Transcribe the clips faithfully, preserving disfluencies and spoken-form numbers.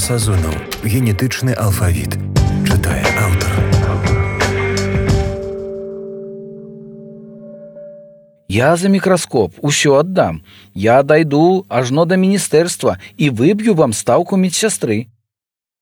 Сазонаў. Генетычны алфавіт. Чытае аўтар. Я за мікраскоп усё аддам. Я дайду ажно да міністэрства і выб'ю вам стаўку медсястры.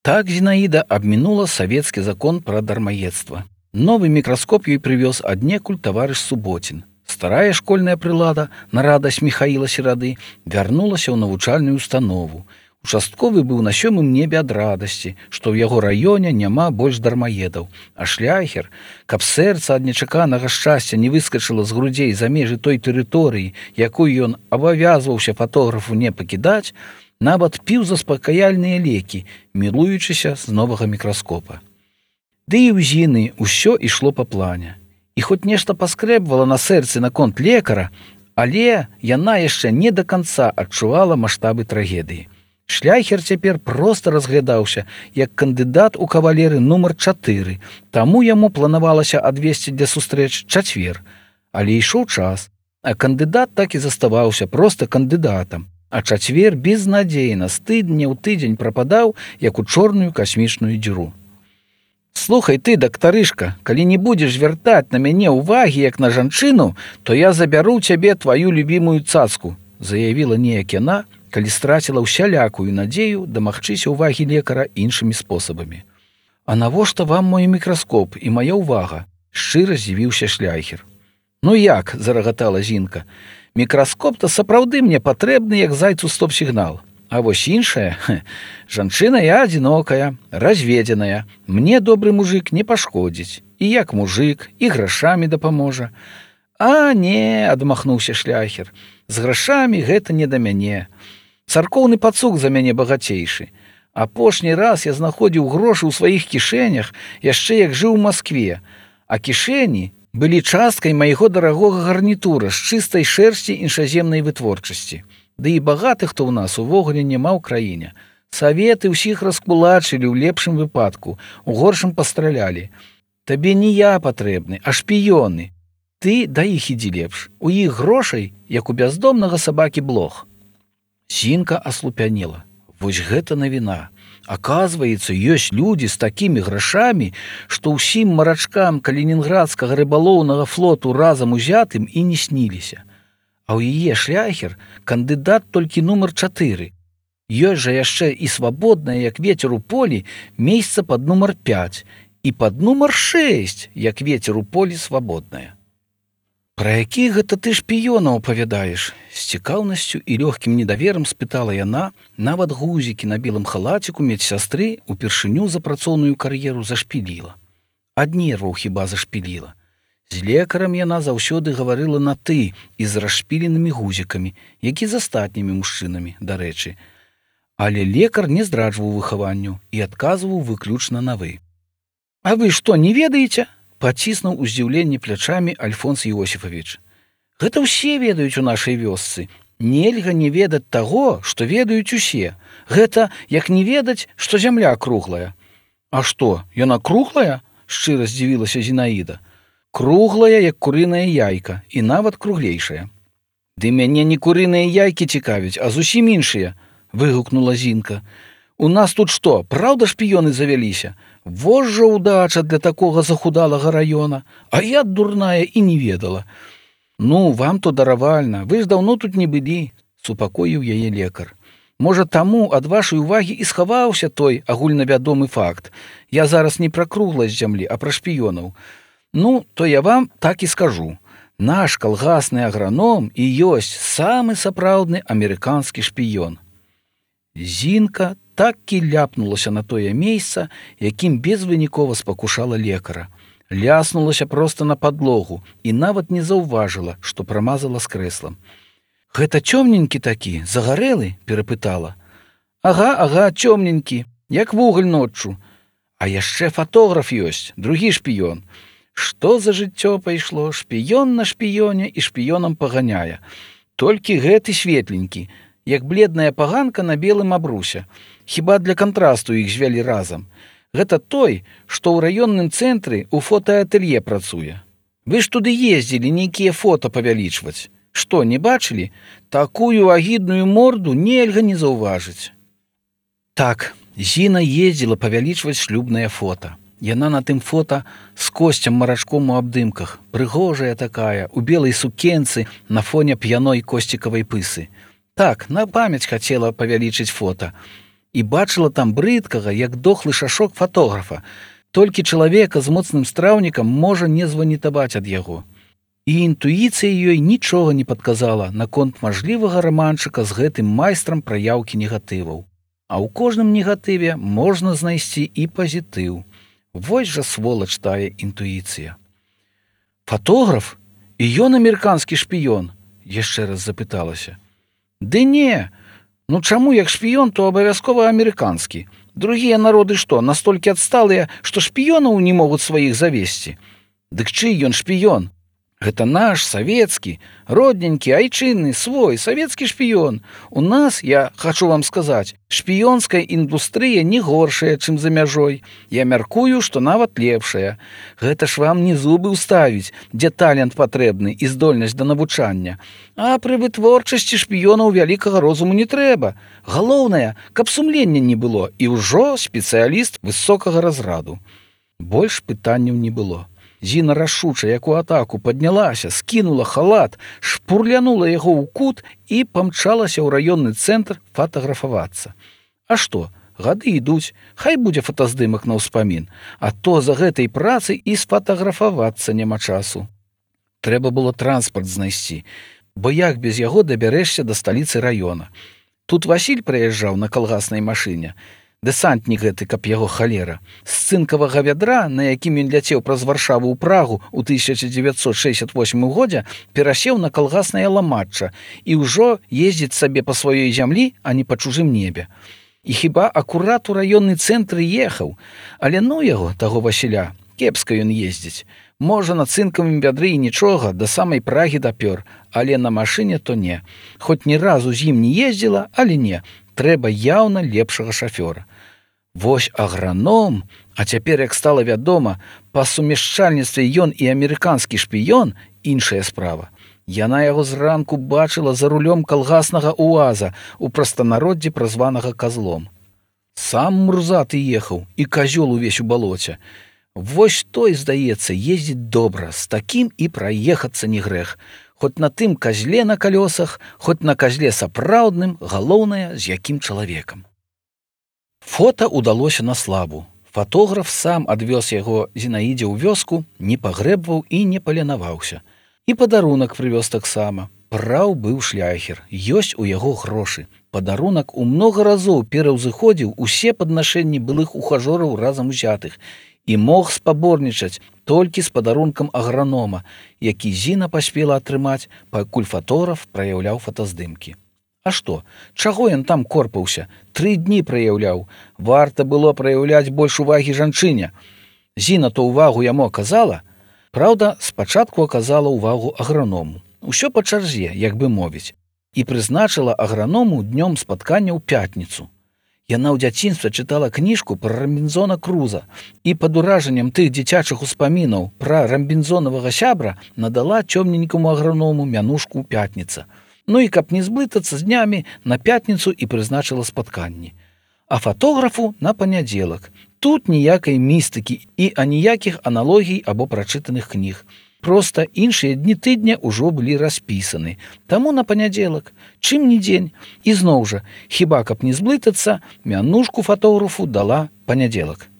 Так Зінаіда абмінула савецкі закон пра дармаедства. Новы мікраскоп ёй прывёз аднекуль таварыш Суботін. Старая школьная прылада, на радасць Міхаіла Серады, вярнулася ў навучальную установу. Участковы быў на сёмым небе ад радасці, што ў яго раёне няма больш дармаедаў, а шляхер, каб сэрца ад нечаканага шчасця не выскачыла з грудзей за межы той тэрыторыі, якую ён абавязваўся фатографу не пакідаць, нават піў заспакаяльныя лекі, мілуючыся з новага мікраскопа. Ды і ў Зіны ўсё ішло па плане. І хоць нешта паскрэбвала на сэрцы наконт лекара, але яна яшчэ не да канца адчувала маштабы трагедыі. Шляхер цяпер проста разглядаўся як кандыдат у кавалеры нумар чатыры, таму яму планавалася адвесці для сустрэч чацвер. Але ішоў час, а кандыдат так і заставаўся проста кандыдатам, а чацвер безнадзейна з тыдня ў тыдзень прападаў, як у чорную касмічную дзіру. «Слухай ты, дактарышка, калі не будзеш звяртаць на мяне ўвагі, як на жанчыну, то я забяру цябе тваю любімую цацку», заявіла неяк яна, калі страціла ўсялякую надзею дамагчыся ўвагі лекара іншымі спосабамі. «А навошта вам мой мікраскоп і мая ўвага?» – шчыра здзівіўся шляхер. «Ну як?» – зарагатала Зінка. «Мікраскоп-то сапраўды мне патрэбны, як зайцу стоп-сігнал. А вось іншая, жанчына я адзінокая, разведзеная, мне добры мужик не пашкодзіць, і як мужик, і грашамі дапаможа». «А не», – адмахнуўся шляхер, – «з грашамі гэта не да мяне. Царкоўны пацук за мяне багацейшы. Апошні раз я знаходзіў грошы ў сваіх кішэнях, яшчэ як жыў у Маскве, а кішэні былі часткай майго дарагога гарнітура з чыстай шэрсці іншаземнай вытворчасці. Ды і багатых то ў нас увогуле няма ў краіне. Саветы ўсіх раскулачылі ў лепшым выпадку, у горшым пастралялі. Табе не я патрэбны, а шпіёны. Ты да іх ідзі лепш. У іх грошай, як у бяздомнага сабакі блох». Зінка аслупянела. Вось гэта навіна. Аказваецца, ёсць людзі з такімі грашамі, што ўсім марачкам калінінградскага рыбалоўнага флоту разам узятым і не сніліся. А ў яе шляхер кандыдат толькі нумар чатыры. Ёсць жа яшчэ і свабоднае, як вецер у полі, месца пад нумар пяць, і пад нумар шэсць, як вецер у полі свабоднае. «Пра які гэта ты шпіёнаў апавядаеш?» З цікаўнасцю і лёгкім недаверам спытала яна, нават гузікі на белым халаціку медсястры упершыню за працоўную кар'еру зашпіліла. Ад нерваў хіба зашпіліла. З лекарам яна заўсёды гаварыла на «ты» і з расшпіленымі гузікамі, як і з астатнімі мужчынамі, дарэчы. Але лекар не здраджваў выхаванню і адказваў выключна на «вы». «А вы што, не ведаеце?» Паціснуў у здзіўленні плячамі Альфонс Іосіфавіч. «Гэта ўсе ведаюць у нашай вёсцы. Нельга не ведаць таго, што ведаюць усе. Гэта як не ведаць, што зямля круглая». «А што, яна круглая?» – шчыра здзівілася Зінаіда. «Круглая, як курыная яйка, і нават круглейшая». «Ды мяне не курыныя яйкі цікавяць, а зусім іншыя», – выгукнула Зінка. «У нас тут што, праўда шпіёны завяліся? Вось жа ўдача для такога захудалага раёна, а я дурная і не ведала». «Ну, вам то даравальна, вы ж даўно тут не былі», – супакоіў яе лекар. «Можа, таму ад вашай увагі і схаваўся той агульнавядомы факт. Я зараз не пра кругласць зямлі, а пра шпіёнаў. Ну, то я вам так і скажу. Наш калгасны аграном і ёсць самы сапраўдны амерыканскі шпіён». Зінка так і ляпнулася на тое месца, якім безвынікова спакушала лекара. Ляснулася проста на падлогу і нават не заўважыла, што прамазала з крэслам. «Гэта цёмненькі такі, загарэлы?» – перапытала. «Ага, ага, цёмненькі, як вугаль ноччу. А яшчэ фатограф ёсць, другі шпіён. Што за жыццё пайшло? Шпіён на шпіёне і шпіёнам паганяе. Толькі гэты светленькі, як бледная паганка на белым абрусе. Хіба для кантрасту іх звялі разам. Гэта той, што ў раённым цэнтры ў фотаатэлье працуе. Вы ж туды ездзілі нейкія фота павялічваць. Што, не бачылі? Такую агідную морду нельга не заўважыць». «Так, Зіна ездзіла павялічваць шлюбнае фота. Яна на тым фота з Косцем Марачком у абдымках, прыгожая такая, у белай сукенцы на фоне п'яной косцікавай пысы. Так, на памяць хацела павялічыць фота. І бачыла там брыдкага, як дохлы шашок фатографа. Толькі чалавека з моцным страўнікам можа не званітаваць ад яго. І інтуіцыя ёй нічога не падказала наконт мажлівага раманчыка з гэтым майстрам праяўкі негатываў. А ў кожным негатыве можна знайсці і пазітыў. Вось жа сволач тая інтуіцыя. Фатограф? І ён амерыканскі шпіён? Яшчэ раз запыталася. Ды не, ну чаму як шпіён, то абавязкова амерыканскі. Другія народы што, настолькі адсталыя, што шпіёнаў не могуць сваіх завесці? Дык чый ён шпіён? Гэта наш, савецкі, родненькі, айчынны, свой, савецкі шпіён. У нас, я хачу вам сказаць, шпіёнская індустрыя не горшая, чым за мяжой. Я мяркую, што нават лепшая. Гэта ж вам не зубы ўставіць, дзе талент патрэбны і здольнасць да навучання. А пры вытворчасці шпіёнаў вялікага розуму не трэба. Галоўнае, каб сумлення не было, і ўжо спецыяліст высокага разраду. Больш пытанняў не было. Зіна рашуча, як у атаку, паднялася, скінула халат, шпурлянула яго ў кут і памчалася ў раённы цэнтр фатаграфавацца. А што, гады ідуць, хай будзе фотаздымак на ўспамін, а то за гэтай працы і сфатаграфавацца няма часу. Трэба было транспарт знайсці, бо як без яго дабярэшся да сталіцы раёна. Тут Васіль прыязджаў на калгаснай машыне, дэсантнік гэты, каб яго халера. З цынкавага вядра, на якім ён ляцеў праз Варшаву ў Прагу ў тысяча дзевяцьсот шэсцьдзясят восьмым годзе, перасеў на калгаснае ламачча і ўжо ездзіць сабе па сваёй зямлі, а не па чужым небе. І хіба акурат у раённы цэнтр ехаў, але ну яго, таго Васіля, кепска ён ездзіць. Можа, на цынкавым вядры і нічога, да самай Прагі дапёр, але на машыне то не. Хоць ні разу з ім не ездзіла, але не, трэба яўна лепшага шафёра. Вось аграном, а цяпер, як стала вядома, па сумяшчальніцтве ён і амерыканскі шпіён, іншая справа. Яна яго зранку бачыла за рулём калгаснага уаза, у прастанароддзі празванага казлом. Сам мурзаты ехаў, і казёл увесь у балоце. Вось той, здаецца, ездзіць добра, з такім і праехацца не грэх. Хоць на тым казле на калёсах, хоць на казле сапраўдным, галоўнае, з якім чалавекам. Фота ўдалося на славу. Фатограф сам адвёз яго Зінаідзе ў вёску, не пагрэбваў і не паленаваўся. І падарунак прывёз таксама. Праў быў шляхер, ёсць у яго грошы. Падарунак у многа разоў пераўзыходзіў усе паднашэнні былых ухажораў разам узятых і мог спаборнічаць толькі з падарункам агранома, які Зіна паспела атрымаць, пакуль фатограф праяўляў фотаздымкі. А што, чаго ён там корпаўся? Тры дні праяўляў. Варта было праяўляць больш увагі жанчыне. Зіна то ўвагу яму аказала. Праўда, спачатку аказала ўвагу аграному. Усё па чарзе, як бы мовіць. І прызначыла аграному днём спаткання ў пятніцу. Яна ў дзяцінстве чытала кніжку пра Рамбінзона Круза і пад уражаннем тых дзіцячых успамінаў пра рамбінзонавага сябра надала цёмненькаму аграному мянушку ў пятніца. Ну і каб не зблытацца з днямі, на пятніцу і прызначыла спатканні. А фатографу на панядзелак. Тут ніякай містыкі і аніякіх аналогій або прачытаных кніг. Проста іншыя дні тыдня ўжо былі распісаны. Таму на панядзелак, чым не дзень. І зноў жа, хіба каб не зблытацца, мянушку фатографу дала панядзелак.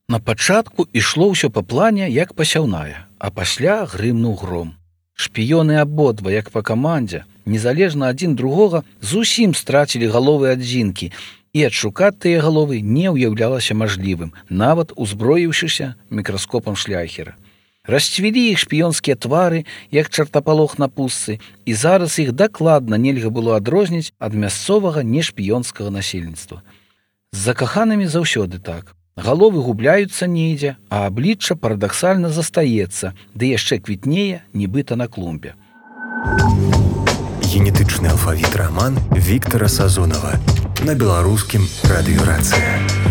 На пачатку ішло ўсё па плане, як пасяўная, а пасля грымнуў гром. Шпіёны абодва, як па камандзе, незалежна адзін другога, зусім страцілі галовы адзінкі, і адшукаць тыя галовы не ўяўлялася мажлівым, нават узброіўшыся мікраскопам шляхера. Расцвілі іх шпіёнскія твары, як чартапалох на пустцы, і зараз іх дакладна нельга было адрозніць ад мясцовага нешпіёнскага насельніцтва. З закаханымі заўсёды так. Галовы губляюцца недзе, а аблічча парадаксальна застаецца, ды яшчэ квітнее, нібыта на клумбе. Генетычны алфавіт раман Віктара Сазонава на беларускім радыёрацыя.